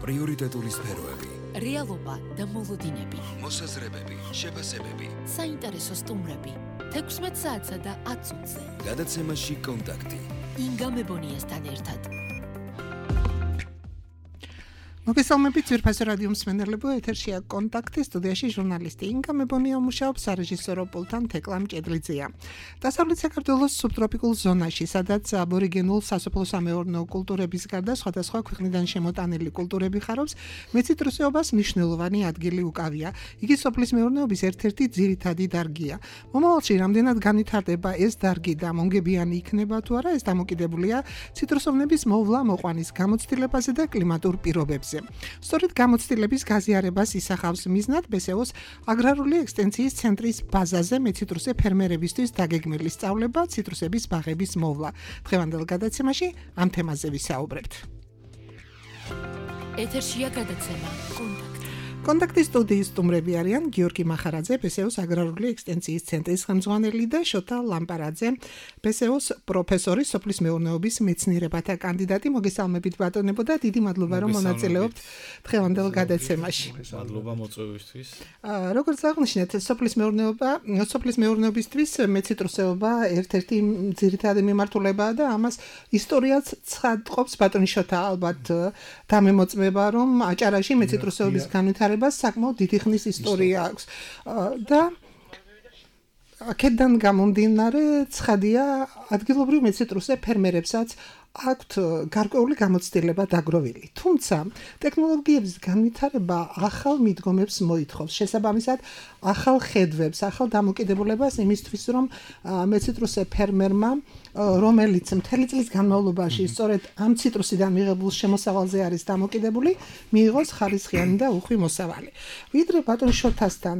პრიორიტეტული სფეროები, რეალობა და მოლოდინები, მოსაზრებები, შეფასებები, საინტერესო სტუმრები, 16 საათსა და 10 წუთზე. გადაცემაში კონტაქტი. ინგა მებონიასთან ერთად. მოგესალმებით ძვირფასო რადიო მსმენელებო, ეთერშია კონტაქტი, სტუდიაში ჟურნალისტი ინგა მებონია მუშაობს, სარეჟისორო პულტთან თეკლა მჭედლიძეა. დასავლეთ საქართველოს სუბტროპიკულ ზონაში, სადაც აბორიგენულ სასოფლო-სამეურნეო კულტურების გარდა სხვადასხვა ქვეყნიდან შემოტანილი კულტურები ხარობს, მეციტრუსეობას მნიშვნელოვანი ადგილი უკავია. იგი სოფლის მეურნეობის ერთ-ერთი ძირითადი დარგია. მომავალში რამდენად განვითარდება ეს დარგი და მონგებიანი იქნება თუ არა, ეს დამოკიდებულია ციტრუსოვნების მოვლა-მოყვანის გამოცდილებაზე და კლიმატურ პირობებზე. სწორედ გამოცდილების გაზიარებას ისახავს მიზნად ბესეოს აგრარული ექსტენციის ცენტრის ბაზაზე მეციტრუსე ფერმერებისთვის დაგეგმილი სწავლება ციტრუსების ბაღების მოვლა. დღევანდელ გადაცემაში ამ თემაზე ვისაუბრებთ. ეთერშია გადაცემა კონტაქტის სტუდიის სტუმრები არიან გიორგი მახარაძე, ბესეოს აგრარული ექსტენციის ცენტრის ხელმძღვანელი და შოთა ლამპარაძე, ბესეოს პროფესორი, სოფლის მეურნეობის მეცნიერებათა კანდიდატი. მოგესალმებით ბატონებო და დიდი მადლობა რომ მონაწილეობთ დღევანდელ გადაცემაში. მადლობა მოწვევისთვის. როგორც აღნიშნეთ, სოფლის მეურნეობისთვის მეციტრუსეობა ერთ-ერთი ძირითადი მიმართულებაა და ამას ისტორიაც ცხადყოფს ბატონი შოთა, ალბათ დამემოწმება რომ აჭარაში მეციტრუსეობის განვითარებას საკმაოდ დიდი ხნის ისტორია აქვს და აქედან გამომდინარე ცხადია ადგილობრივ მეციტრუსე ფერმერებსაც აქვთ გარკვეული გამოცდილება დაგროვილი. თუმცა ტექნოლოგიების განვითარება ახალ მიდგომებს მოითხოვს, შესაბამისად ახალ ხედვებს, ახალ დამოკიდებულებას იმისთვის, რომ მეციტრუსე ფერმერმა, რომელიც მთელი წლის განმავლობაში სწორედ ამ ციტრუსიდან მიღებულ შემოსავალზე არის დამოკიდებული, მიიღოს ხარისხიანი და უხვი მოსავალი. ვიდრე ბატონ შოთასთან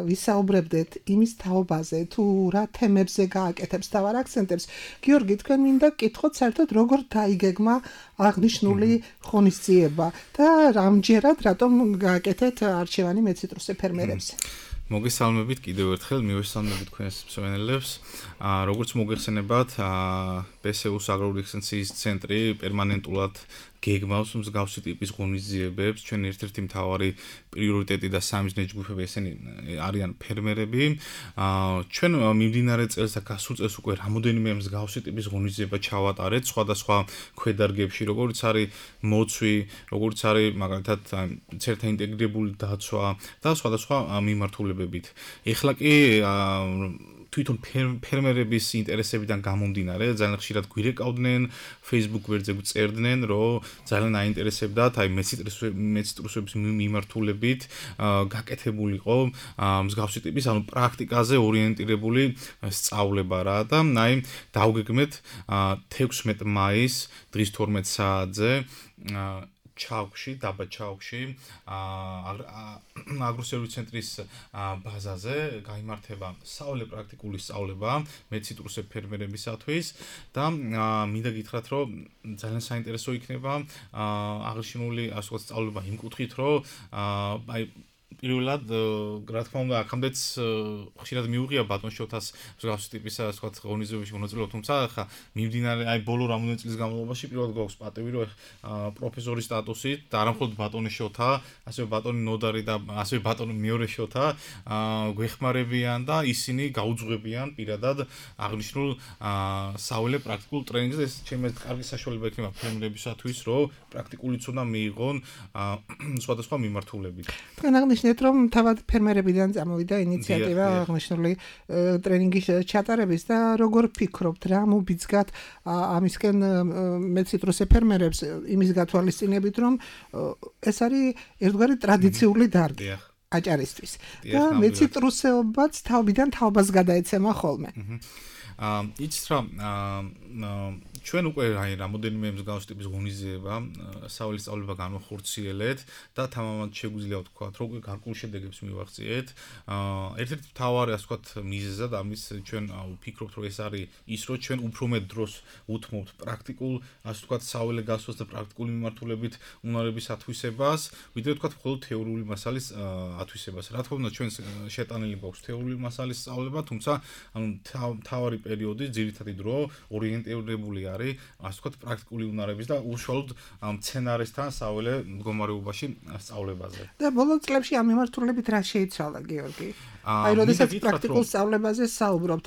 ვისაუბრებდეთ იმის თაობაზე, თუ რა თემებზე გააკეთებს თავარ აქცენტებს, გიორგი, თქვენ მინდა გკითხოთ საერთოდ როგორ დაიგეგმა აღნიშნული ღონისძიება და რამჯერად რატომ გააკეთეთ არჩევანი მეციტრუსე ფერმერებზე? მოგესალმებით კიდევ ერთხელ, მივესალმებით თქვენს მსმენელებს. როგორც მოგეხსენებათ, ბესეოს აგრარული ექსტენციის ცენტრი პერმანენტულად გეგმავს მსგავსი ტიპის ღონისძიებებს. ჩვენ ერთ-ერთი მთავარი პრიორიტეტი და სამიზნე ჯგუფები ესენი არიან ფერმერები. ჩვენ მიმდინარე წელს და გასულ წელს უკვე რამოდენიმე მსგავსი ტიპის ღონისძიება ჩავატარეთ სხვადასხვა ქვედარგებში, როგორც არის მოცვი, როგორც არის მაგალითად წერთა ინტეგრირებული დაცვა და სხვადასხვა მიმართულებებით. ეხლა კი თვითონ ფერმერების ინტერესებიდან გამომდინარე ძალიან ხშირად გვირეკავდნენ, Facebook გვერდზე გვწერდნენ, რომ ძალიან აინტერესებდათ აი მეციტრუსების მიმართულებით გაკეთებულიყო მსგავსი ტიპის ანუ პრაქტიკაზე ორიენტირებული სწავლება რა და აი დავგეგმეთ 16 მაისს დღის 12 საათზე ჩავკში, დაბა ჩავკში, აგროსერვისის ცენტრის ბაზაზე გაიმართება პრაქტიკული სწავლება მეციტრუსე ფერმერებისათვის და მინდა გითხრათ, რომ ძალიან საინტერესო იქნება აღნიშნული ასე ვთქვათ სწავლება იმ კუთხით, რომ აი პირველად რა თქმა უნდა აქამდეც ხშირად მიუღია ბატონ შოთას მსგავსი ტიპის ასე ვთქვათ ღონისძიებებში მონაწილეობა, თუმცა ხა მიმდინარე აი ბოლო რამოდენიმე წლის განმავლობაში პირველად გვაქვს პატივი, რომ პროფესორის სტატუსით და არა მხოლოდ ბატონი შოთა, ასევე ბატონი ნოდარი და ასევე ბატონი მეორე შოთა გვეხმარებიან და ისინი გაუძღვებიან პირადად აღნიშნულ საველე პრაქტიკულ ტრენინგზე. ეს ჩემი კარგი საშუალება იქნება ფერმერებისათვის, რომ პრაქტიკულიც უნდა მიიღონ სხვადასხვა მიმართულებით. თქვენ აღნიშნეთ რომ თავად ფერმერებიდან წამოვიდა ინიციატივა აღნიშნული ტრენინგის ჩატარების და როგორ ფიქრობთ, რა მობიძგათ ამისკენ მეციტრუსე ფერმერებს იმის გათვალისწინებით, რომ ეს არის ერთგვარი ტრადიციული დარგი აჭარისთვის და მეციტრუსეობაც თაობიდან თაობას გადაეცემა ხოლმე. იცით რა ჩვენ უკვე აი რამოდენიმე მსგავსი ტიპის ღონისძიება საველის სწავლება განვახორციელეთ და თამამად შეგვიძლია ვთქვათ, რომ გარკვეულ შედეგებს მივაღწიეთ. ერთ-ერთი მთავარი ასე ვთქვათ მიზეზად ამის ჩვენ ვფიქრობთ, რომ ეს არის ის, რომ ჩვენ უფრო მეტ დროს უთმობთ პრაქტიკულ ასე ვთქვათ საველე გასვლას და პრაქტიკული მიმართულებით უნარების ათვისებას, ვიდრე ვთქვათ მხოლოდ თეორიული მასალის ათვისებას. რა თქმა უნდა ჩვენ შეტანილი გვაქვს თეორიული მასალის სწავლება, თუმცა ანუ მთავარი პერიოდი, ძირითადი დრო ორიენტირებული არის, ასე ვთქვათ, პრაქტიკული უნარების და უშუალოდ მცენარესთან საველე მდგომარეობაში სწავლებაზე. და ბოლო წლებში ამ მიმართულებით რა შეიცვალა, გიორგი? აი, როდესაც პრაქტიკულ სწავლებაზე საუბრობთ,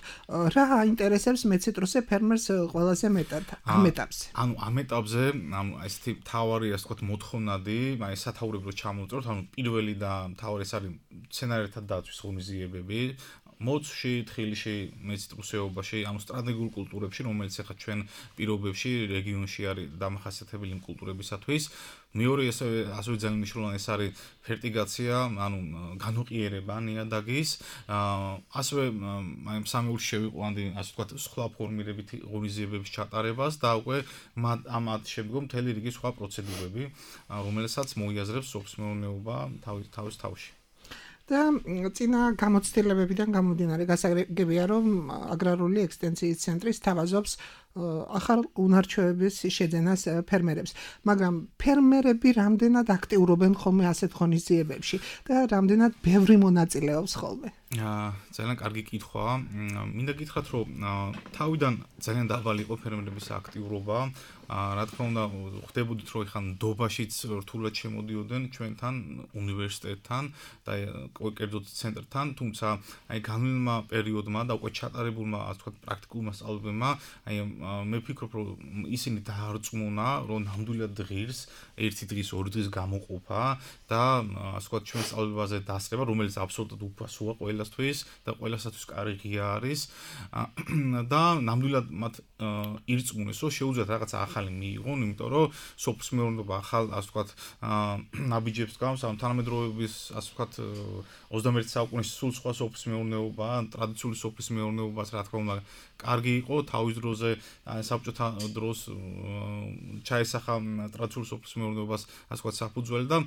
რა აინტერესებს მეციტრუსე ფერმერს ყველაზე მეტად ამ ეტაპზე? ანუ ამ ეტაპზე, ესეთი მთავარი, ასე ვთქვათ, მოთხოვნადი, აი სათაურებრო ჩამოვწეროთ, ანუ პირველი და მთავარი ეს არის მცენარეთა დაცვის ღონისძიებები. მოცვში, თხილში, მეციტრუსეობაში, ანუ სტრატეგიულ კულტურებში, რომელიც ახლა ჩვენ პირობებში რეგიონში არის დამახასიათებელი კულტურებისათვის. მეორე ასევე ძალიან მნიშვნელოვანი ეს არის ფერტიგაცია, ანუ განუყიერება ნიადაგის. ასევე აი სამეულში შევიყვანდი, ასე ვთქვათ, სხვა ფორმირებით ღონისძიებების ჩატარებას და უკვე ამათ შემდგომ მთელი რიგი სხვა პროცედურები, რომელსაც მოიაზრებს სოფლის მეურნეობა თავის თავში. და წინა გამოცდილებებიდან გამომდინარე გასაგებია, რომ აგრარული ექსტენსიის ცენტრი სთავაზობს ახალ უნარჩვევების შეძენას ფერმერებს, მაგრამ ფერმერები რამდენად აქტიურობენ ხოლმე ასეთ ღონისძიებებში და რამდენად ბევრი მონაწილეობს ხოლმე? ძალიან კარგი კითხვაა. მინდა გითხრათ, რომ თავიდან ძალიან დაბალი იყო ფერმერების აქტიურობა. რა თქმა უნდა, ხდებოდით, რომ ეხლა ნდობაშიც რთულად შემოდიოდნენ ჩვენთან, უნივერსიტეტთან და კერძოდ ცენტრთან, თუმცა აი განვლილმა პერიოდმა და უკვე ჩატარებულმა, ასე ვთქვათ, პრაქტიკულმა სწავლებებმა, აი მე ვფიქრობ, რომ ისინი დაარწმუნა, რომ ნამდვილად ღირს ერთი დღის, ორი დღის გამოყოფა და ასე ვთქვათ, ჩვენ სწავლებაზე დასწრება, რომელიც აბსოლუტურად უფასოა ყველასთვის და ყველასათვის კარგი არის და ნამდვილად მათ ირწმუნეს, რომ შეუძლიათ რაღაცა ახალი მიიღონ, იმიტომ რომ სოფლის მეურნეობა ახალ, ასე ვთქვათ, ნაბიჯებს გავს, ანუ თანამედროვეობის, ასე ვთქვათ, 21 საუკუნეში სულ სხვა სოფლის მეურნეობა, ტრადიციული სოფლის მეურნეობას, რა თქმა უნდა, კარგი იყო თავის დროზე, საბჭოთა დროს ჩაესახა ტრადიციული სოფლის მეურნეობას, ასე ვთქვათ, საფუძველი და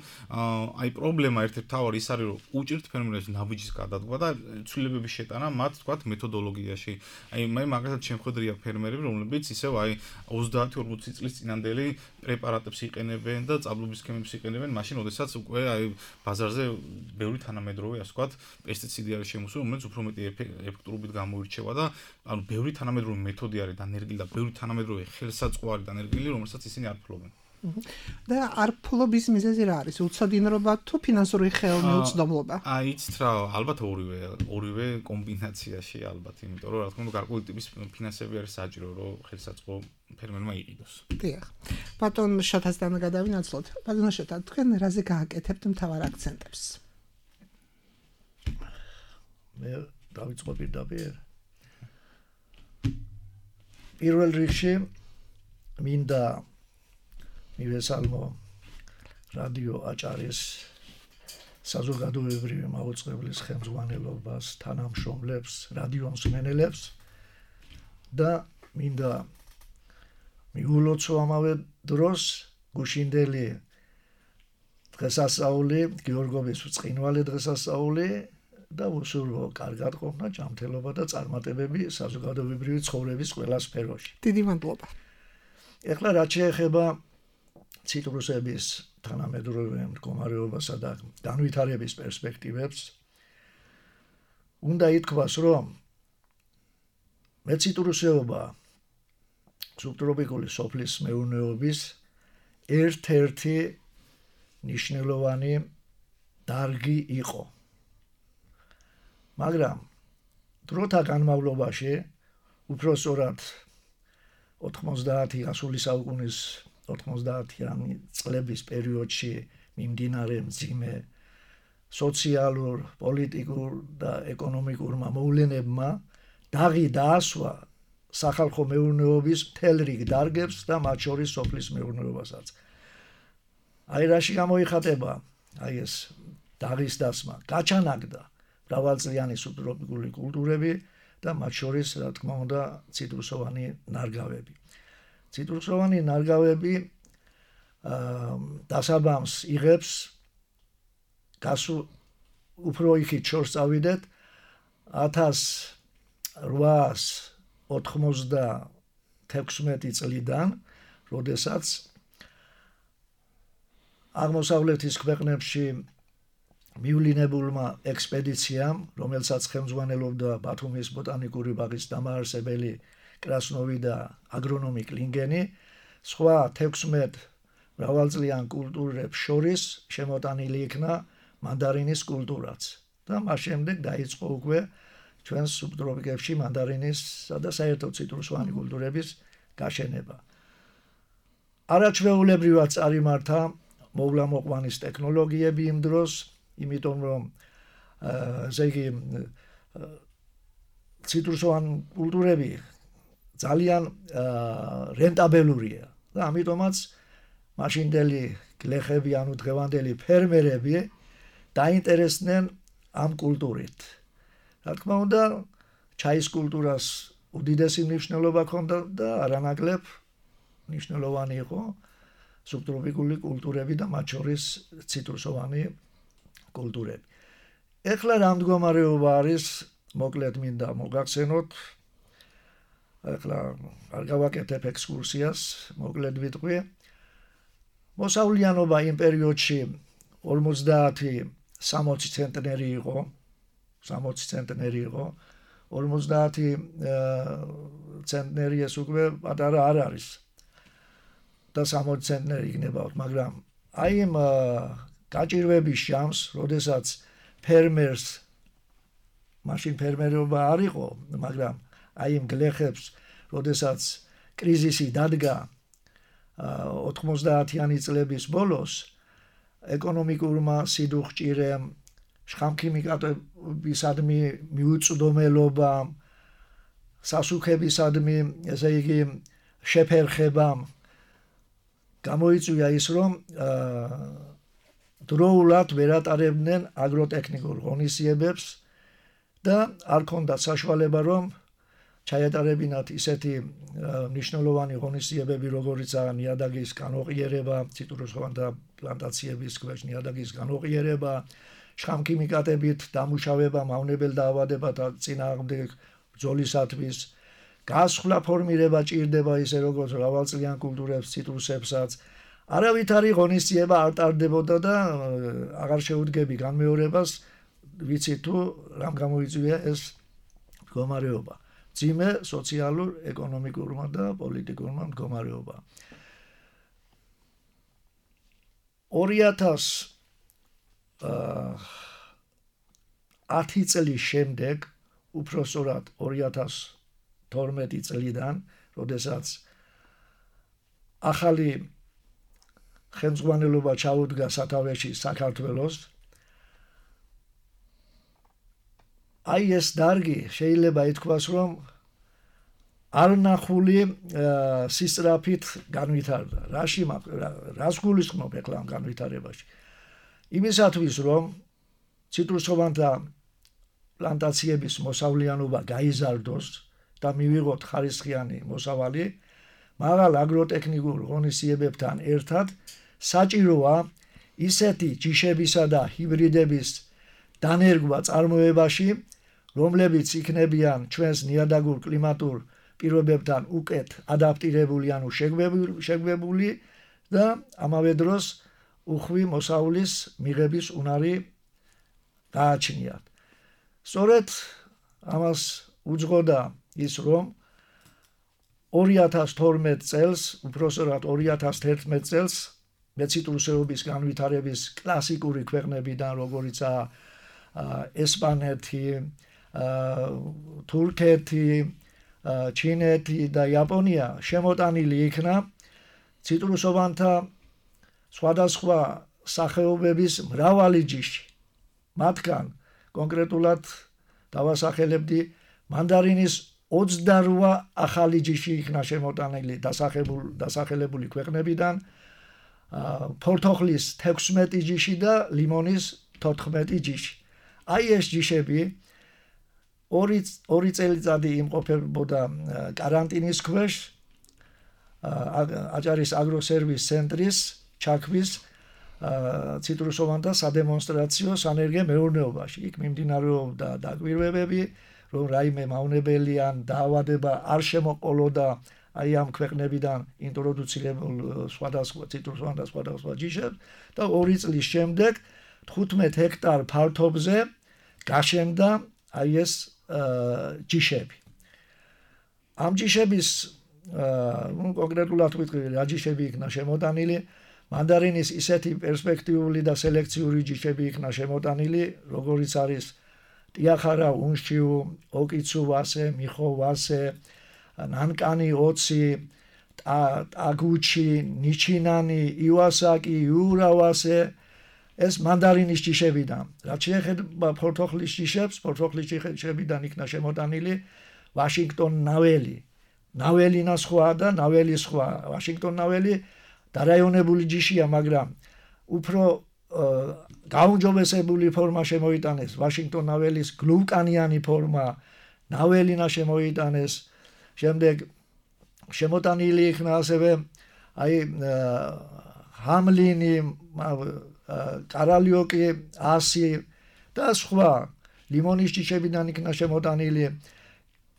აი პრობლემა ერთ-ერთი მთავარი ის არის, რომ უჭირთ ფერმერებს ნაბიჯის გადადგმა და ცვლილებების შეტანა მათ, ვთქვათ, მეთოდოლოგიაში. აი მე მაგალითად შემხედრია ფერმერები, რომლებიც ისევ აი 30-40 წლის წინანდელი პრეპარატებს იყენებენ და წაბლობის სქემებს იყენებენ, მაშინ როდესაც უკვე აი ბაზარზე ბევრი თანამედროვე, ასე ვთქვათ, პესტიციდი არის შემოსული, რომელიც უფრო მეტი ეფექტურობით გამოირჩევა და ანუ ბევრი თანამედროვე მეთოდი არის დანერგილი და ბევრი თანამედროვე ხელსაწყო არის დანერგილი, რომელსაც ისინი არ ფლობენ. და არ ფლობის მიზეზი რა არის? უცოდინრობა თუ ფინანსური ხელმეუწვდომობა? იცით რა, ალბათ ორივე კომბინაციაში ალბათ, იმიტომ რომ რა თქმა უნდა გარკვეული ტიპის ფინანსები არის საჭირო, რომ ხელსაწყო ფერმერმა იყიდოს. დიახ. ბატონ შოთასთან გადავინაცვლოთ. ბატონ შოთა, თქვენ რაზე გააკეთებთ მთავარ აქცენტებს? მე დავიწყო პირდაპირ. პირველ რიგში მინდა მივესალმო რადიო აჭარის საზოგადოებრივი მაუწყებლის ხელმძღვანელობას, თანამშრომლებს, რადიო მსმენელებს და მინდა მიულოცო ამავე დროს გუშინდელი დღესასწაული, გიორგობის ბრწყინვალე დღესასწაული და უსურვო კარგად ყოფნა, ჯანმრთელობა და წარმატებები საზოგადოებრივი ცხოვრების ყველა სფეროში. დიდი მადლობა. ეხლა რაც შეეხება ციტრუსების თანამედროვე მდგომარეობასა და განვითარების პერსპექტივებს, უნდა ითქვას, რომ მეციტრუსეობა სუბტროპიკული სოფლის მეურნეობის ერთ-ერთი მნიშვნელოვანი დარგი იყო. მაგრამ დროთა განმავლობაში, უფრო სწორად 90-იანი საუკუნის 90-იანი წლების პერიოდში მიმდინარე მძიმე სოციალურ, პოლიტიკურ და ეკონომიკურმა მოვლენებმა დაღი დაასვა სახალხო მეურნეობის მთელ რიგ დარგებს და მათ შორის სოფლის მეურნეობასაც. აი რაში გამოიხატება აი ეს დაღის დასმა, გაჩანაგდა მრავალწლიანი სუბტროპიკული კულტურები და მათ შორის, რა თქმა უნდა, ციტრუსოვანი ნარგავები. ციტრუსოვანი ნარგავები დასაბამს იღებს უფრო იქით შორს წავიდეთ 1896 წლიდან, როდესაც აღმოსავლეთის ქვეყნებში მივლინებულმა ექსპედიციამ, რომელსაც ხელმძღვანელობდა ბათუმის ბოტანიკური ბაღის დამაარსებელი კრასნოვი და აგრონომი კლინგენი, სხვა 16 მრავალწლიან კულტურებს შორის შემოტანილი იქნა მანდარინის კულტურაც და მას შემდეგ დაიწყო უკვე ჩვენს სუბტროპიკებში მანდარინისა და საერთოდ ციტრუსოვანი კულტურების გაშენება. არაჩვეულებრივად წარიმართა მოვლა-მოყვანის ტექნოლოგიები იმ დროს, იმიტომ რომ ესე იგი ციტრუსოვანი კულტურები ძალიან რენტაბელურია და ამიტომაც მაშინდელი გლეხები, ანუ დღევანდელი ფერმერები დაინტერესდნენ ამ კულტურით. რა თქმა უნდა, ჩაის კულტურას უდიდესი მნიშვნელობა ჰქონდა და არანაკლებ მნიშვნელოვანი იყო სუბტროპიკული კულტურები და მათ შორის ციტრუსოვანი კულტურები. ეხლა რა მდგომარეობა არის, მოკლედ მინდა მოგახსენოთ. ეხლა არ გავაკეთებ ექსკურსიას, მოკლედ ვიტყვი. მოსავლიანობა იმ პერიოდში 50-60 ცენტნერი იყო. 60 ცენტნერი იყო. 50 ცენტნერი ეს უკვე პატარა არ არის. და 60 ცენტნერი იქნებოდა, მაგრამ აი იმ გაჭირვების ჟამს, როდესაც ფერმერს მაშინ ფერმერობა არ იყო, მაგრამ აი იმ გლეხებს, როდესაც კრიზისი დადგა 90-იანი წლების ბოლოს, ეკონომიკურმა სიდუხჭირემ, შხამქიმიკატებისადმი მიუწვდომელობამ, სასუქებისადმი, ესე იგი, შეფერხებამ გამოიწვია ის, რომ დროულად ვერ ატარებდნენ აგროტექნიკურ ღონისძიებებს და არ ქონდათ საშუალება, რომ ჩაეტარებინათ ისეთი მნიშვნელოვანი ღონისძიებები, როგორიცაა ნიადაგის განოყიერება, ციტრუსოვანთა პლანტაციების ქვეშ ნიადაგის განოყიერება, შხამქიმიკატებით დამუშავება მავნებელ დაავადებათა წინააღმდეგ ბრძოლისათვის, გასხლა ფორმირება ჭირდება ისე როგორც მრავალწლიან კულტურებს, ციტრუსებსაც. არავითარი ღონისძიება არ ტარდებოდა და აღარ შეუდგები განმეორებას, ვიცი თუ რამ გამოიწვია ეს მდგომარეობა. ძიმე სოციალურ, ეკონომიკურმა და პოლიტიკურმა მდგომარეობა. 2010 წლის შემდეგ, უпроსტად 2012 წლიდან, როდესაც ახალი ხელმძღვანელობა ჩაუდგა სათავეში საქართველოს, აი ეს დარგი შეიძლება ითქვას, რომ არნახული სისწრაფით განვითარდა. რას გულისხმობ ეხლა ამ განვითარებაში? იმისათვის, რომ ციტრუსოვანთა პლანტაციების მოსავლიანობა გაიზარდოს და მივიღოთ ხარისხიანი მოსავალი, მაღალ აგროტექნიკურ ღონისძიებებთან ერთად საჭიროა ისეთი ჯიშებისა და ჰიბრიდების დანერგვა წარმოებაში, რომლებიც იქნებიან ჩვენს ნიადაგურ კლიმატურ პირობებთან უკეთ ადაპტირებული, ანუ შეგვებული და ამავე დროს უხვი მოსავლის მიღების უნარი გააჩნიათ. სწორედ ამას უძღოდა ის, რომ 2012 წელს, უпроსტად 2011 წელს მეციტრუსეობის განვითარების კლასიკური ქვეყნებიდან, როგორიცაა ესპანეთი, თურქეთი, ჩინეთი და იაპონია შემოტანილი იქნა ციტრუსოვანთა სხვადასხვა სახეობების მრავალი ჯიში. მათგან კონკრეტულად დავასახელებდი მანდარინის 28 ახალი ჯიში იქნა შემოტანილი დასახელებული ქვეყნებიდან, ფორთოხლის 16 ჯიში და ლიმონის 14 ჯიში. აი ეს ჯიშები ორი წელიწადი იმყოფებოდა კარანტინის ქვეშ აჭარის აგროსერვის ცენტრის ჩაქვის ციტრუსოვანთა სადემონსტრაციო სანერგე მეურნეობაში. იქ მიმდინარეობდა დაკვირვებები, რომ რაიმე მავნებელიან დაავადება არ შემოყოლოდა აი ამ ქვეყნებიდან ინტროდუცირებულ სხვადასხვა ციტრუსოვანთა სხვადასხვა ჯიშებს და 2 წლის შემდეგ 15 ჰექტარ ფართობზე გაშენდა აი ეს ჯიშები. ამ ჯიშების კონკრეტულად ვიტყვი რა ჯიშები იქნა შემოტანილი მანდარინის ისეთი პერსპექტიული და სელექციური ჯიშები იქნა შემოტანილი როგორიც არის ტიახარა უნშიუ ოკიცუ ვასე მიხო ვასე ნანკანი ოცი ტაგუჩი ნიჩინანი ივასაკი იურავასე ეს მანდარინის ჯიშებიდან რაც შეეხება ფორთოხლის ჯიშებს ფორთოხლის ჯიშებიდან იქნა შემოტანილი ვაშინგტონ ნაველინა სხვა და ნაველი სხვა ვაშინგტონ ნაველი დარაიონებული ჯიშია მაგრამ უფრო გაუმჯობესებული ფორმა შემოიტანეს ვაშინგტონ ნაველის გლუვკანიანი ფორმა ნაველინა შემოიტანეს შემდეგ შემოტანილი იქნა ასევე აი ჰამლინი კარალიოკი ასი და სხვა ლიმონის ჯიშებიდან იქნა შემოტანილი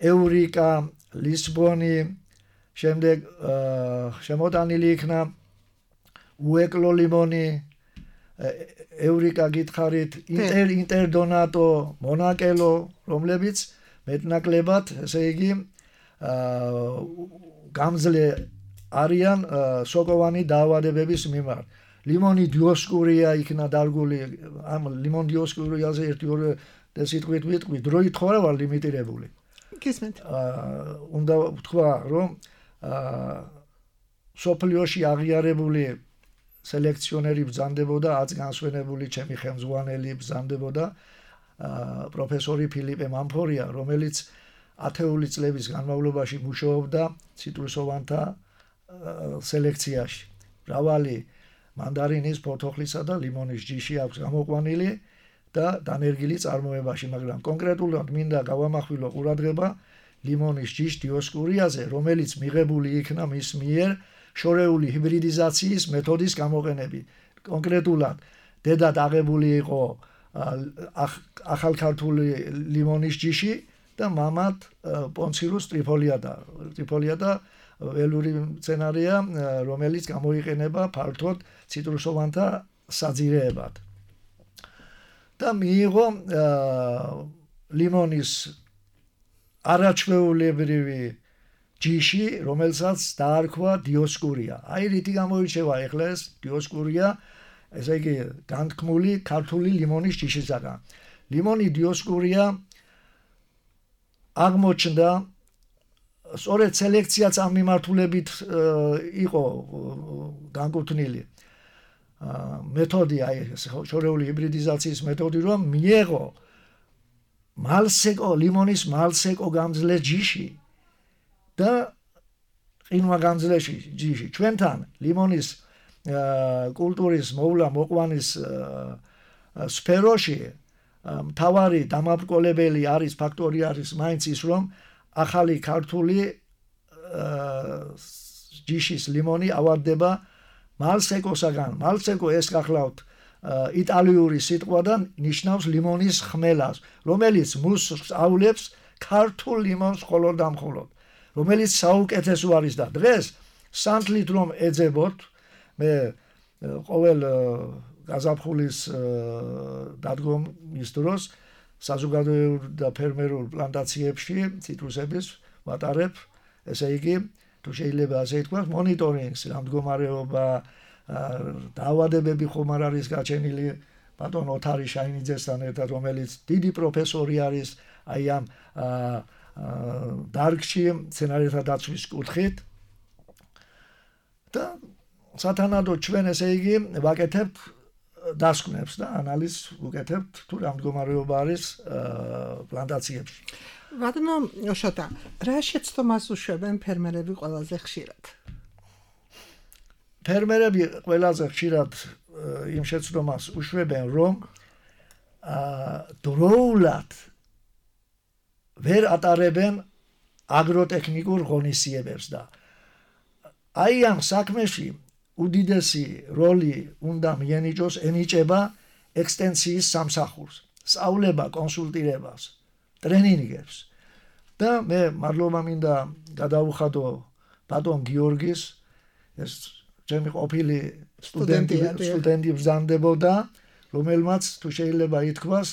ევრიკა ლისბონი შემდეგ შემოტანილი იქნა უეკლო ლიმონი ევრიკა გითხარით ინტერდონატო მონაკელო რომლებიც მეტნაკლებად ესე იგი გამძლე არიან სოკოვანი დაავადებების მიმართ ლიმონი დიოსკურია იქნა დარგული ამ ლიმონ დიოსკურიაზე 1-2 სიტყვით ვიტყვი დროით ხო არა ვარ ლიმიტირებული გისმენთ უნდა ვთქვა რომ სოფლიოში აღიარებული სელექციონერი ბრძანდებოდა აც განსვენებული ჩემი ხელმძღვანელი ბრძანდებოდა პროფესორი ფილიპე მამფორია რომელიც 10 წლების განმავლობაში მუშაობდა ციტრუსოვანთა სელექციაში მრავალი მანდარინის ფორთოხლისა და ლიმონის ჯიში აქვს გამოყვანილი და დანერგილი წარმოებაში მაგრამ კონკრეტულად მინდა გავამახვილო ყურადღება ლიმონის ჯიშ დიოსკურიაზე რომელიც მიღებული იქნა მის მიერ შორეული ჰიბრიდიზაციის მეთოდის გამოყენებით კონკრეტულად დედად აღებული იყო ახალქართული ლიმონის ჯიში და მამად პონცირუს ტრიფოლია და ველური მცენარეა რომელიც გამოიყენება ფართოდ ციტრუსოვანთა საძირეებად და მიიღო ლიმონის არაჩვეულებრივი ჯიში რომელსაც დაარქვა დიოსკურია აი რითი გამოირჩევა ეხლა ეს დიოსკურია ესე იგი განთქმული ქართული ლიმონის ჯიშისაგან ლიმონი დიოსკურია აღმოჩნდა სწორედ სელექციაც ამ მიმართულებით იყო განკუთვნილი მეთოდი აი შორეული ჰიბრიდიზაციის მეთოდი რომ მიეღო მალსეკო ლიმონის მალსეკო გამძლე ჯიში და ყინვა გამძლე ჯიში ჩვენთან ლიმონის კულტურის მოვლა მოყვანის სფეროში მთავარი დამაბრკოლებელი არის ფაქტორი არის მაინც ის რომ ახალი ქართული ჯიშის ლიმონი ავადდება მალსეკოსაგან მალსეკო ეს გახლავთ იტალიური სიტყვიდან ნიშნავს ლიმონის ხმელას რომელიც მუსს ავლებს ქართულ ლიმონს მხოლოდ და მხოლოდ რომელიც საუკეთესო არის და დღეს სანთლით რომ ეძებოთ მე ყოველ გაზაფხულის დადგომის დროს საზოგადოებრივ და ფერმერულ პლანტაციებში ციტრუსების ვატარებ ესე იგი თუ შეიძლება ასე ითქვას მონიტორინგს რა მდგომარეობა დაავადებები ხომ არ არის გაჩენილი ბატონ ოთარი შაინიძესთან ერთად რომელიც დიდი პროფესორი არის აი ამ დარგში მცენარეთა დაცვის კუთხით და სათანადოდ ჩვენ ესე იგი ვაკეთებთ დასკვნებს და ანალიზს ვუკეთებთ თუ რა მდგომარეობა არის პლანტაციებში ბატონო შოტა რა შეცდომას უშვებენ ფერმერები ყველაზე ხშირად ფერმერები ყველაზე ხშირად იმ შეცდომას უშვებენ რომ დროულად ვერ ატარებენ აგროტექნიკურ ღონისძიებებს და აი ამ საქმეში უდიდესი როლი უნდა ენიჭება ექსტენსიის სამსახურს, სწავლება, კონსულტირებას, ტრენინგებს და მე მადლობა მინდა გადავუხადო ბატონ გიორგის ეს ჩემი ყოფილი სტუდენტი ბრძანდებოდა რომელმაც თუ შეიძლება ითქვას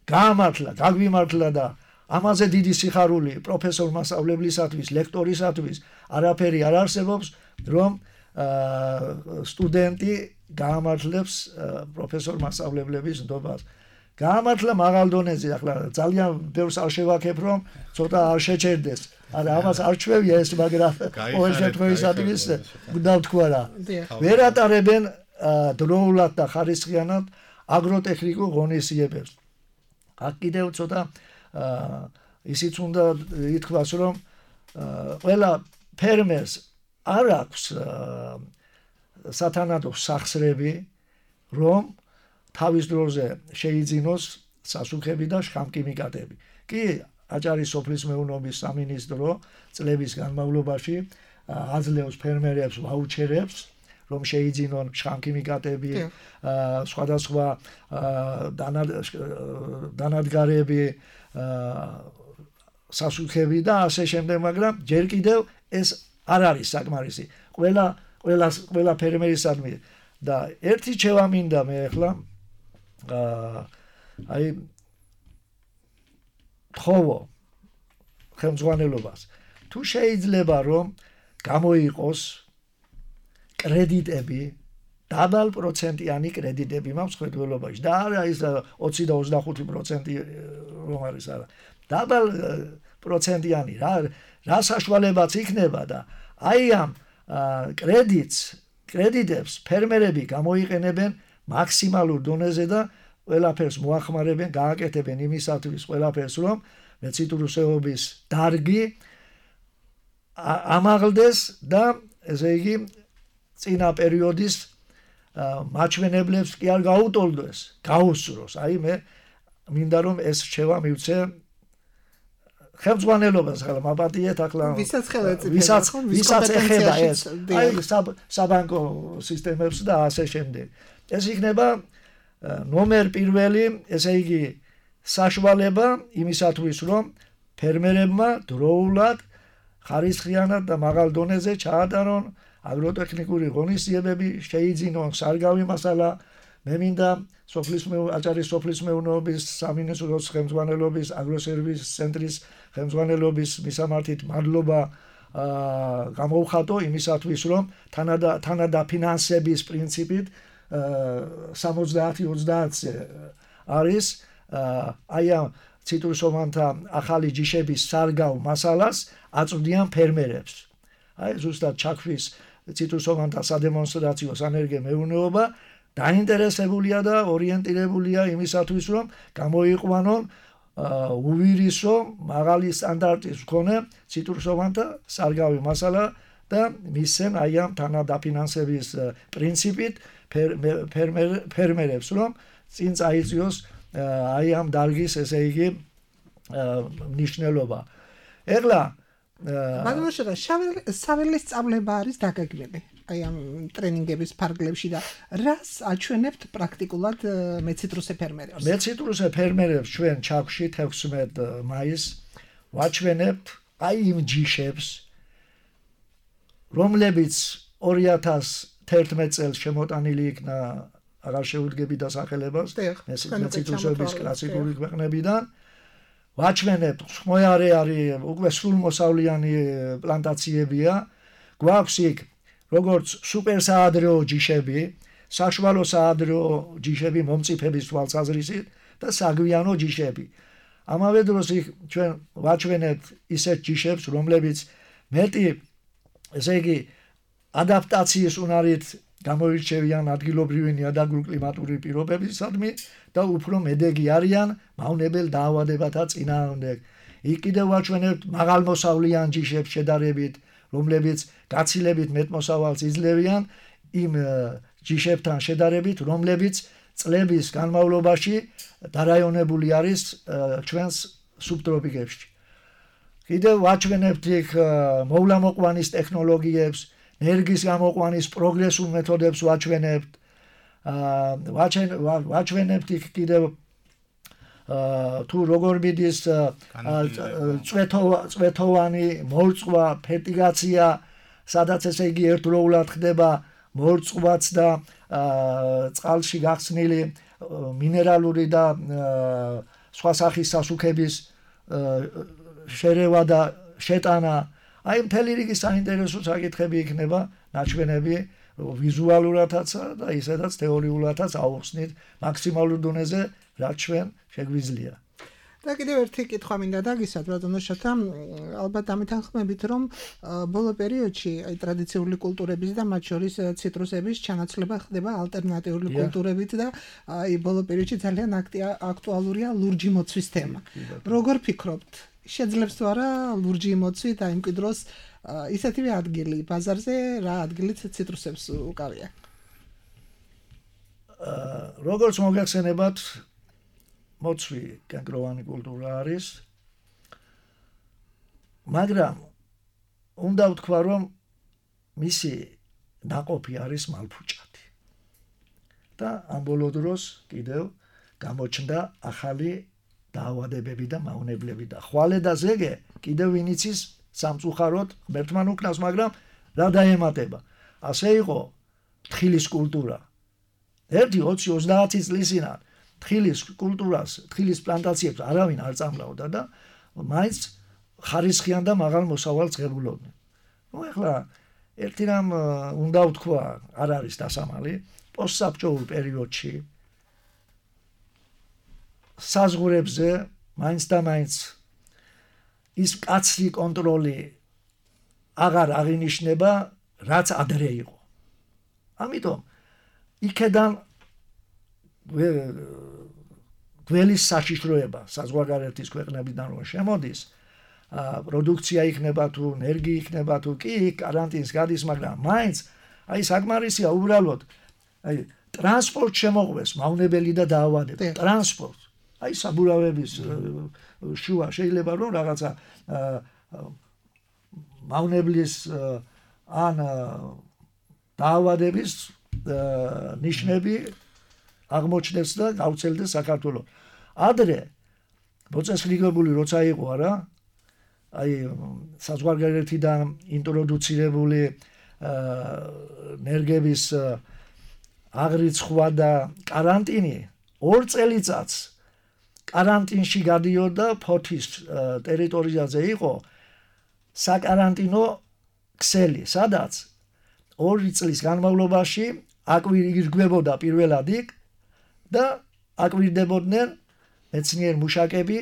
გაგვიმართლა და ამაზე დიდი სიხარული პროფესორ მასწავლებლისათვის, ლექტორისათვის არაფერი არ არსებობს, რომ სტუდენტი გაამართლებს პროფესორ მასწავლებლების ნდობას. გაამართლა მაღალ დონეზე, ახლა ძალიან ბევრს არ შევაქებ, რომ ცოტა არ შეჩერდეს. არა, ამას არ ჩვევია ეს, მაგრამ ყოველ შემთხვევისათვის უნდა ვთქვა რა. ვერ ატარებენ დროულად და ხარისხიანად აგროტექნიკურ ღონისძიებებს. აქ კიდევ ცოტა ისიც უნდა ითქვას, რომ ყველა ფერმერს არ აქვს სათანადო სახსრები, რომ თავის დროზე შეიძინოს სასუქები და შხამკიმიკატები. კი, აჭარის სოფლის მეურნეობის სამინისტრო წლების განმავლობაში აძლევს ფერმერებს ვაუჩერებს, რომ შეიძინონ შხამკიმიკატები, სხვადასხვა დანადგარები, სასუქები და ასე შემდეგ, მაგრამ ჯერ კიდევ ეს არ არის საკმარისი. ყველა ფერმერისადმი და ერთი რჩევა მინდა მე ახლა აი თხოვო ხელმძღვანელობას, თუ შეიძლება რომ გამოიყოს კრედიტები, დაბალ პროცენტიანი კრედიტები მაქვს მხედველობაში და არა ის 20 და 25% რომ არის, არა, დაბალ პროცენტიანი რა საშუალებაც იქნება და აი ამ კრედიტებს ფერმერები გამოიყენებენ მაქსიმალურ დონეზე და ყველაფერს მოახმარებენ, გააკეთებენ იმისათვის ყველაფერს, რომ მეციტრუსეობის დარგი ამაღლდეს და ესე იგი წინა პერიოდის მაჩვენებლებს კი არ გაუტოლდეს, გაუსწროს. აი მე მინდა რომ ეს რჩევა მივცე ხელმძღვანელობას, ახლა მაპატიეთ, ახლა ვისაც ეხება ეს აი საბანკო სისტემებს და ასე შემდეგ. ეს იქნება ნომერ პირველი, ესე იგი საშუალება იმისათვის, რომ ფერმერებმა დროულად ხარისხიანად და მაღალ დონეზე ჩაატარონ აგროტექნიკური ღონისძიებები, შეიძინონ სარგავი მასალა. მე მინდა აჭარის სოფლის მეურნეობის სამინისტროს ხელმძღვანელობის, აგროსერვის ცენტრის ხელმძღვანელობის მისამართით მადლობა გამოვხატო იმისათვის, რომ თანადაფინანსების პრინციპით 70-30-ზე არის აი ამ ციტრუსოვანთა ახალი ჯიშების სარგავ მასალას აწვდიან ფერმერებს. აი ზუსტად ჩაქვის ციტრუსოვანთა სადემონსტრაციო სანერგე მეურნეობა დაინტერესებულია და ორიენტირებულია იმისათვის, რომ გამოიყვანონ უვირისო მაღალი სტანდარტის მქონე ციტრუსოვანთა სარგავი მასალა და მისცენ აი ამ თანადაფინანსების პრინციპით ფერმერებს, რომ წინ წაიწიოს აი ამ დარგის ესე იგი მნიშვნელობა. ეხლა მაგრამ საველის სწავლება არის დაგეგმილი აი ამ ტრენინგების ფარგლებში და რას აჩვენებთ პრაქტიკულად მეციტრუსე ფერმერებს? მეციტრუსე ფერმერებს ჩვენ ჩაქვში 16 მაისს ვაჩვენებთ აი იმ ჯიშებს, რომლებიც 2011 წელს შემოტანილი იქნა, აღარ შევუდგები დასახელებას, მეციტრუსების კლასიკური ქვეყნებიდან. ვაჩვენებთ, ხმოარე არის უკვე სრულმოსავლიანი პლანტაციებია, გვაქვს იქ როგორც სუპერსაადრეო ჯიშები, საშუალო საადრეო ჯიშები მომწიფების თვალსაზრისით და საგვიანო ჯიშები. ამავე დროს იქ ჩვენ ვაჩვენებთ ისეთ ჯიშებს, რომლებიც მეტი ესე იგი ადაპტაციის უნარით გამოირჩევიან ადგილობრივი ნიადაგური კლიმატური პირობებისადმი და უფრო მედეგი არიან მავნებელ დაავადებათა წინააღმდეგ. იქ კიდევ ვაჩვენებთ მაღალმოსავლიან ჯიშებს შედარებით, რომლებიც გაცილებით მეტმოსავალს იძლევიან იმ ჯიშებთან შედარებით, რომლებიც წლების განმავლობაში დარაიონებული არის ჩვენს სუბტროპიკებში. კიდევ ვაჩვენებთ იქ მოვლამოყვანის ტექნოლოგიებს, ენერგიის გამოყვანის პროგრესულ მეთოდებს ვაჩვენებთ. ვაჩვენებთ იქ კიდევ თუ როგორ მიდის წვეთოვანი მორწყვა, ფერტიგაცია, სადაც ესე იგი ერთდროულად ხდება მორწყვაც და წყალში გახსნილი მინერალური და სხვა სახის სასუქების შერევა და შეტანა, აი მთელი რიგი საინტერესო საკითხები იქნება, ნაჩვენები ვიზუალურადაც და ისედაც თეორიულადაც აუხსნით მაქსიმალურ დონეზე, რაც ჩვენ შეგვიძლია. და კიდევ ერთი კითხვა მინდა დაგისვათ ბატონო შოთა, ალბათ ამითანხმებით, რომ ბოლო პერიოდში აი ტრადიციული კულტურების და მათ შორის ციტრუსების ჩანაცვლება ხდება ალტერნატიული კულტურებით და აი ბოლო პერიოდში ძალიან აქტუალურია ლურჯი მოცვის თემა. როგორ ფიქრობთ, შეძლებს თუ არა ლურჯი მოცვით აი იმ კიდროს ისეთივე ადგილი ბაზარზე, რა ადგილით ციტრუსებს უკავია? როგორც მოგეხსენებათ, მოცვი კენკროვანი კულტურა არის, მაგრამ უნდა ვთქვა, რომ მისი ნაყოფი არის მალფუჭადი. და ამ ბოლო დროს კიდევ გამოჩნდა ახალი დაავადებები და მავნებლები და ხვალე და ზეგე კიდევ ვინ იცის სამწუხაროდ ღმერთმან უკნავს, მაგრამ რა დაემატება. ასე იყო თხილის კულტურა. 1-20-30 წლის წინათ თხილის კულტურას, თხილის პლანტაციებს არავინ არ წამლავდა და მაინც ხარისხიან და მაღალ მოსავალს ღებულობდნენ. ნუ ეხლა ერთი რამ უნდა ვთქვა, არ არის დასამალი, პოსტსაბჭოურ პერიოდში საზღვრებზე მაინც და მაინც ის კაცრი კონტროლი აღარ აღინიშნება, რაც ადრე იყო. ამიტომ იქედან გველის საშიშროება საზღვარგარეთის ქვეყნებიდან რომ შემოდის, პროდუქცია იქნება თუ ენერგი იქნება თუ კი კარანტინს გადის, მაგრამ მაინც აი საკმარისია უბრალოდ აი ტრანსპორტ შემოყვეს მავნებელი და დაავადება. ტრანსპორტ აი საბურავების შუა შეიძლება რომ რაღაცა მავნებლის ან დაავადების ნიშნები აღმოჩნდეს და გავრცელდეს საქართველოს. ადრე მოწესრიგებული როცა იყო არა, აი საზღვარგარეთიდან ინტროდუცირებული ნერგების აღრიცხვა და კარანტინი 2 წელიწადს კარანტინში გადიოდა ფოთის ტერიტორიაზე იყო საკარანტინო ქსელი, სადაც 2 წლის განმავლობაში აკვირდებოდა პირველად იქ და აკვირდებოდნენ მეცნიერ მუშაკები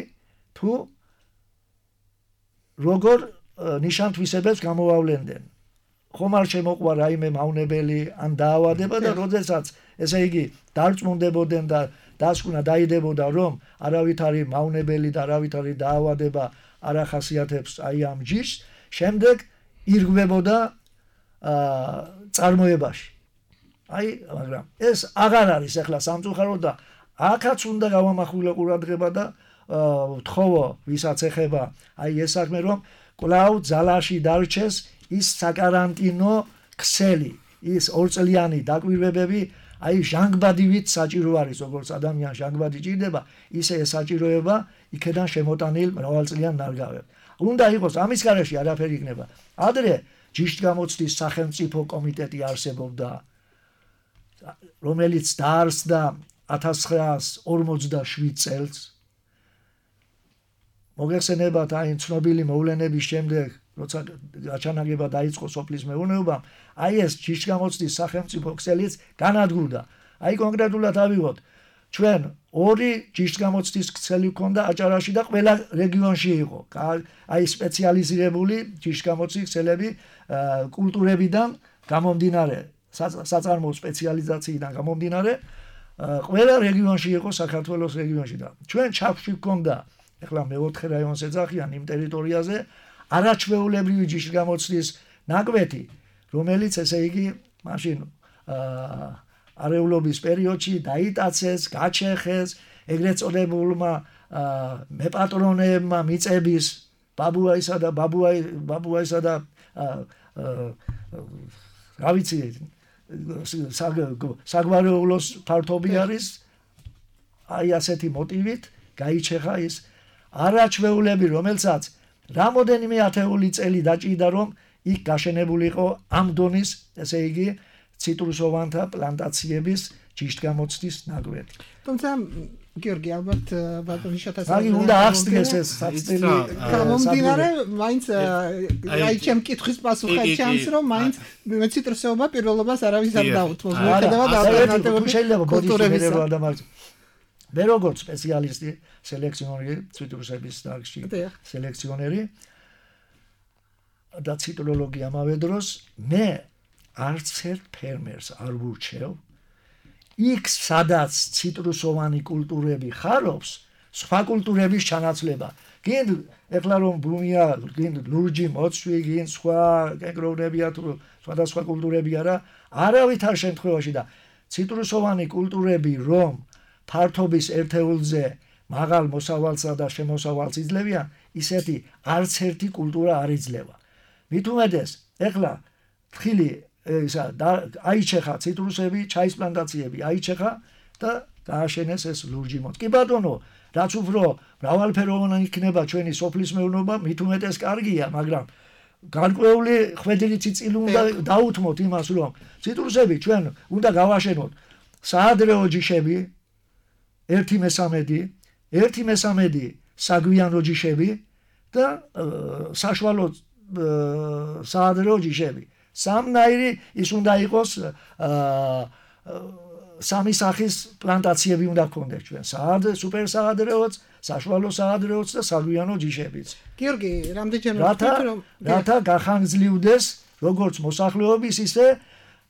თუ როგორ ნიშან-თვისებებს გამოავლენდნენ. ხომ არ შემოყვა რაიმე მავნებელი ან დაავადება და როდესაც ესე იგი დარწმუნდებოდნენ და დასკვნა დაიდებოდა რომ არავითარი მავნებელი და არავითარი დაავადება არ ახასიათებს აი ამ ჯიშს, შემდეგ ირღვებოდა წარმოებაში. აი, მაგრამ ეს აღარ არის ახლა სამწუხაროდ და აქაც უნდა გავამახვილო ყურადღება და ვთხოვო ვისაც ეხება აი ეს საქმე რომ კვლავ ძალაში დარჩეს ის საკარანტინო ქსელი, ის 2 წლიანი დაკვირვებები, აი ჟანგბადივით საჭირო არის, როგორც ადამიანს ჟანგბადი ჭირდება, ისე ეს საჭიროება იქედან შემოტანილ მრავალწლიან ნარგავებს. უნდა იყოს ამის გარეშე არაფერი იქნება. ადრე ჯიშტგამოცდის სახელმწიფო კომიტეტი არსებობდა, რომელიც დაარსდა 1947 წელს. მოგეხსენებათ აი ცნობილი მოვლენების შემდეგ, როცა გაჩანაგება დაიწყო სოფლის მეურნეობამ, აი ეს ჯიშტგამოცდის სახელმწიფო ქსელიც განადგურდა. აი კონკრეტულად ავიღოთ, ჩვენ 2 ჯიშტგამოცდის ქსელი ჰქონდა აჭარაში და ყველა რეგიონში იყო. აი სპეციალიზირებული ჯიშტგამოცდის ქსელები კულტურებიდან გამომდინარე, საწარმოო სპეციალიზაციიდან გამომდინარე, ყველა რეგიონში იყო საქართველოს რეგიონში და ჩვენ ჩაფში ჰქონდა, ეხლა მე-4 რაიონს ეძახიან იმ ტერიტორიაზე არაჩვეულებრივი ჯიშტგამოცდის ნაკვეთი, რომელიც ესე იგი მაშინ არეულობის პერიოდში დაიტაცეს, გაჩეხეს, ეგრეთ წოდებულმა მეპატრონეებმა მიწების ბაბუაისა და რა ვიცი საგვარეულოს ფართობი არის, აი ასეთი მოტივით გაიჩეხა ის არაჩვეულები, რომელსაც რამოდენიმე ათეული წელი დაჭირდა რომ იქ გაშენებულიყო ამ დონის, ესე იგი ციტრუსოვანთა პლანტაციების ჯიშტგამოცდის ნაგვეთი. თუმცა გიორგი ალბათ ბატონი შოთას აი უნდა აღსდგეს ეს საწელი გამომდინარე მაინც აი ჩემ კითხვის პასუხად ჩანს რომ მაინც მეციტრუსეობა პირველობას არავის არ დაუთმოს მიუხედავად ალტერნატიული შეიძლება ბოდიშები ადამიანს მე როგორც სპეციალისტი სელექციონერი ციტრუსების დარგში სელექციონერი და ციტროლოგი ამავე დროს მე არც ერთ ფერმერს არ ვურჩევ იქ სადაც ციტრუსოვანი კულტურები ხარობს სხვა კულტურების ჩანაცვლება გინდ ეხლა რომ ბუმია გინდ ლურჯი მოცვი გინდ სხვა კენკროვრებია თუ სხვადასხვა კულტურები არავითარ შემთხვევაში და ციტრუსოვანი კულტურები რომ ფართობის ერთეულზე მაღალ მოსავალსა და შემოსავალს იძლევიან ისეთი არც ერთი კულტურა არ იძლევა მით უმეტეს ეხლა თხილი ისა აიჩეხა ციტრუსები, ჩაის პლანტაციები აიჩეხა და გააშენეს ეს ლურჯი მოთ. კი ბატონო, რაც უფრო მრავალფეროვანი იქნება ჩვენი სოფლის მეურნეობა, მით უმეტეს კარგია, მაგრამ გარკვეული ხვედრი წილი უნდა დაუთმოთ იმას, რომ ციტრუსები ჩვენ უნდა გავაშენოთ საადრეო ჯიშები 1/13 საგვიანო ჯიშები და საშუალო საადრეო ჯიშები. სამნაირი ის უნდა იყოს სამი სახის პლანტაციები უნდა გქონდეს ჩვენ სუპერ საადრეოც, საშუალო საადრეოც და საგვიანო ჯიშებიც. გიორგი, რამდენჯერმე რათა გახანგრძლივდეს როგორც მოსახლეობის, ისე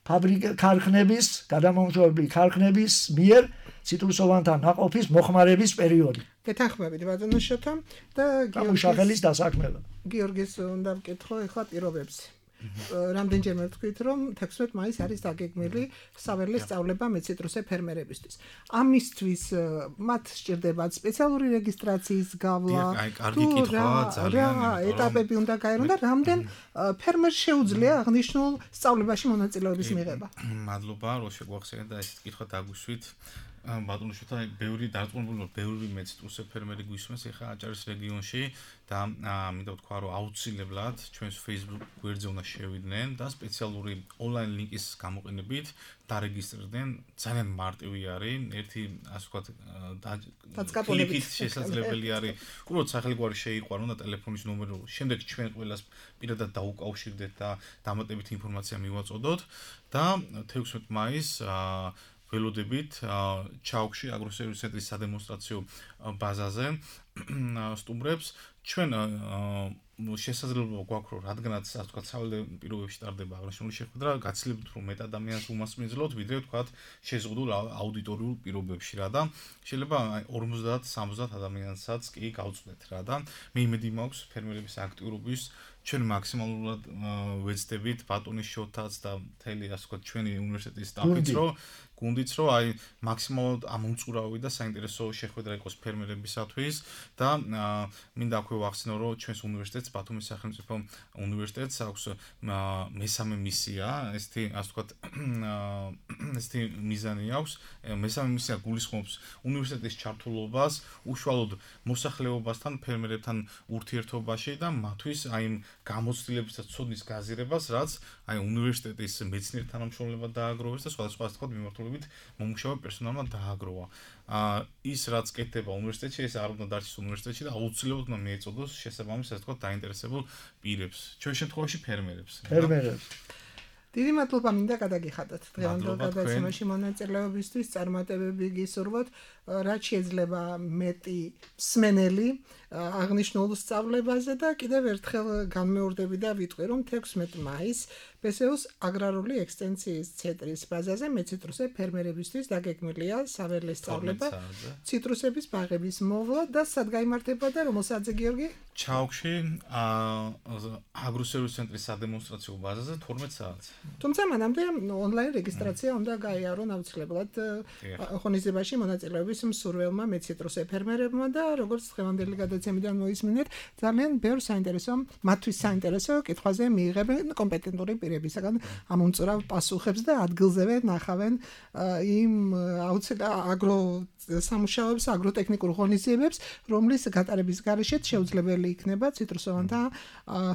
ქარხნების, გადამამუშავებელი ქარხნების მიერ ციტრუსოვანთა ნაყოფის მოხმარების პერიოდი. გეთანხმებით ბატონო შოთა და გამუშახელის დასაქმება. გიორგის უნდა ვკითხო ეხლა პირობებს. რამდენჯერმე ვთქვით რომ 16 მაისს არის დაგეგმილი საველე სწავლება მეციტრუსე ფერმერებისთვის. ამისთვის მათ სჭირდებათ სპეციალური რეგისტრაციის გავლა. აი, კარგი კითხვაა, ძალიან. ეტაპები უნდა გაერონ და რამდენ ფერმერს შეუძლია აღნიშნულ სწავლებაში მონაწილეობის მიღება. მადლობა, რომ შეგვახსენეთ და ესეთ კითხვა დაგვისვით. ბატონო შოთა, ბევრი დარწმუნებული, ბევრი მეციტრუსე ფერმერი გვისმენს ახლა აჭარის რეგიონში და მინდა ვთქვა, რომ აუცილებლად ჩვენს Facebook გვერდზე უნდა შევიდნენ და სპეციალური ონლაინ ლინკის გამოყენებით დარეგისტრირდნენ. ძალიან მარტივი არის, ერთი ასე ვთქვათ, დაწყაბილებით შესაძლებელი არის. უბრალოდ სახელგვარი შეიყვანონ და ტელეფონის ნომერი, შემდეგ ჩვენ ყველას პირადად დაუკავშირდეთ და დამატებითი ინფორმაცია მივაწოდოთ და 16 მაისს ველოდებით ჩაუქში აგროსერვის ცენტრის სადემონსტრაციო ბაზაზე სტუმრებს ჩვენ შესაძლებლობა გვაქვს რომ რადგანაც ასე ვთქვათ საველე პირობებში ტარდება აღნიშნული შეხვედრა გაცილებით რომ მეტ ადამიანს უმასპინძლოთ ვიდრე ვთქვათ შეზღუდულ აუდიტორიულ პირობებში რა და შეიძლება 50-60 ადამიანსაც კი გავწვდეთ რა და მე იმედი მაქვს ფერმერების აქტიურობის ჩვენ მაქსიმალურად ვეცდებით ბატონის შოთაც და მთელი ასე ვთქვათ ჩვენი უნივერსიტეტის სტაფიც რომ გუნდიც რომ აი მაქსიმალურად ამომწურავი და საინტერესო შეხვედრა იყოს ფერმერებისათვის და მინდა აქვე ვახსენო რომ ჩვენს უნივერსიტეტს ბათუმის სახელმწიფო უნივერსიტეტს აქვს მესამე მისია ესეთი ასე ვთქვათ ესეთი მიზანი აქვს მესამე მისია გულისხმობს უნივერსიტეტის ჩართულობას უშუალოდ მოსახლეობასთან ფერმერებთან ურთიერთობაში და მათთვის აი გამოცდილების და ცოდნის გაზიარებას რაც აი უნივერსიტეტის მეცნიერ თანამშრომლებად დააგროვეს და სხვადასხვა ასე ვთქვათ მიმართულებით მომუშავე პერსონალმა დააგროვა. ის რაც კეთდება უნივერსიტეტში, ეს არ უნდა დარჩეს უნივერსიტეტში და აუცილებლად უნდა მიეწოდოს შესაბამის ასე ვთქვათ დაინტერესებულ პირებს. ჩვენ შემთხვევაში ფერმერებს. დიდი მადლობა მინდა გადაგიხადოთ დღევანდელ გადაცემაში მონაწილეობისთვის, წარმატებები გისურვოთ, რაც შეიძლება მეტი მსმენელი აღნიშნულ სწავლებაზე და კიდევ ერთხელ განმეორდები და ვიტყვი რომ 16 მაისს ბესეუს აგრარული ექსტენსიის ცენტრის ბაზაზე მეციტრუსე ფერმერებისთვის დაგეგმილია საველე სწავლება ციტრუსების ბაღების მოვლა და სად გაიმართება და რომელ საათზე გიორგი? ჩაუქში აგროსერვის ცენტრის სადემონსტრაციო ბაზაზე 12 საათზე. თუმცა მანამდე ონლაინ რეგისტრაცია უნდა გაიარონ აუცილებლად ღონისძიებაში მონაწილეობის მსურველმა მეციტრუსე ფერმერებმა და როგორც დღევანდელი გადაცემიდან მოისმინეთ, ძალიან ბევრ საინტერესო, მათთვის საინტერესო კითხვაზე მიიღებენ კომპეტენტური პირებისაგან ამ უმწურავ პასუხებს და ადგილზევე ნახავენ იმ სამუშაოებს, აგროტექნიკურ ღონისძიებებს, რომლის გატარების გარეშეც შეუძლებელი იქნება ციტრუსოვანთა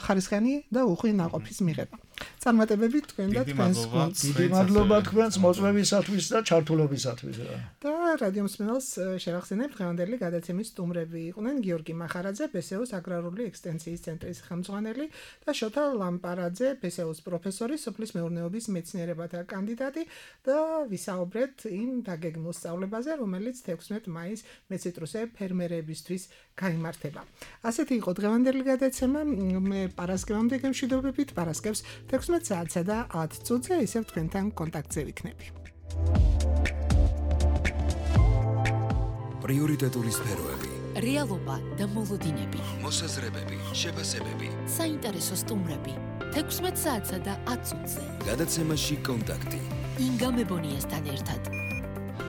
ხარისხიანი და უხვი ნაყოფის მიღება. წარმატებები თქვენ და თქვენს გუნდს. დიდი მადლობა თქვენს მოწვევისათვის და ჩართულობისათვის. და რადიო მსმენელს შევახსენებ, დღევანდელი გადაცემის სტუმრები იყვნენ გიორგი მახარაძე, ბესეუს აგრარული ექსტენსიის ცენტრის ხელმძღვანელი და შოთა ლამპარაძე, ბესეუს პროფესორი, სოფლის მეურნეობის მეცნიერებათა კანდიდატი და ვისაუბრეთ იმ დაგეგმილ სწავლებაზე, რომელიც 16 მაისს მეციტრუსე ფერმერებისთვის გაიმართება. ასეთი იყო დღევანდელი გადაცემა. მე პარასკევამდე გემშვიდობებით, პარასკევს 16 საათსა და 10 წუთზე ისევ თქვენთან კონტაქტზე ვიქნები. პრიორიტეტული სფეროები, რეალობა და მოლოდინები, მოსაზრებები, შეფასებები, საინტერესო სტუმრები 16 საათსა და 10 წუთზე. გადაცემაში კონტაქტი. ინგა მებონიასთან ერთად.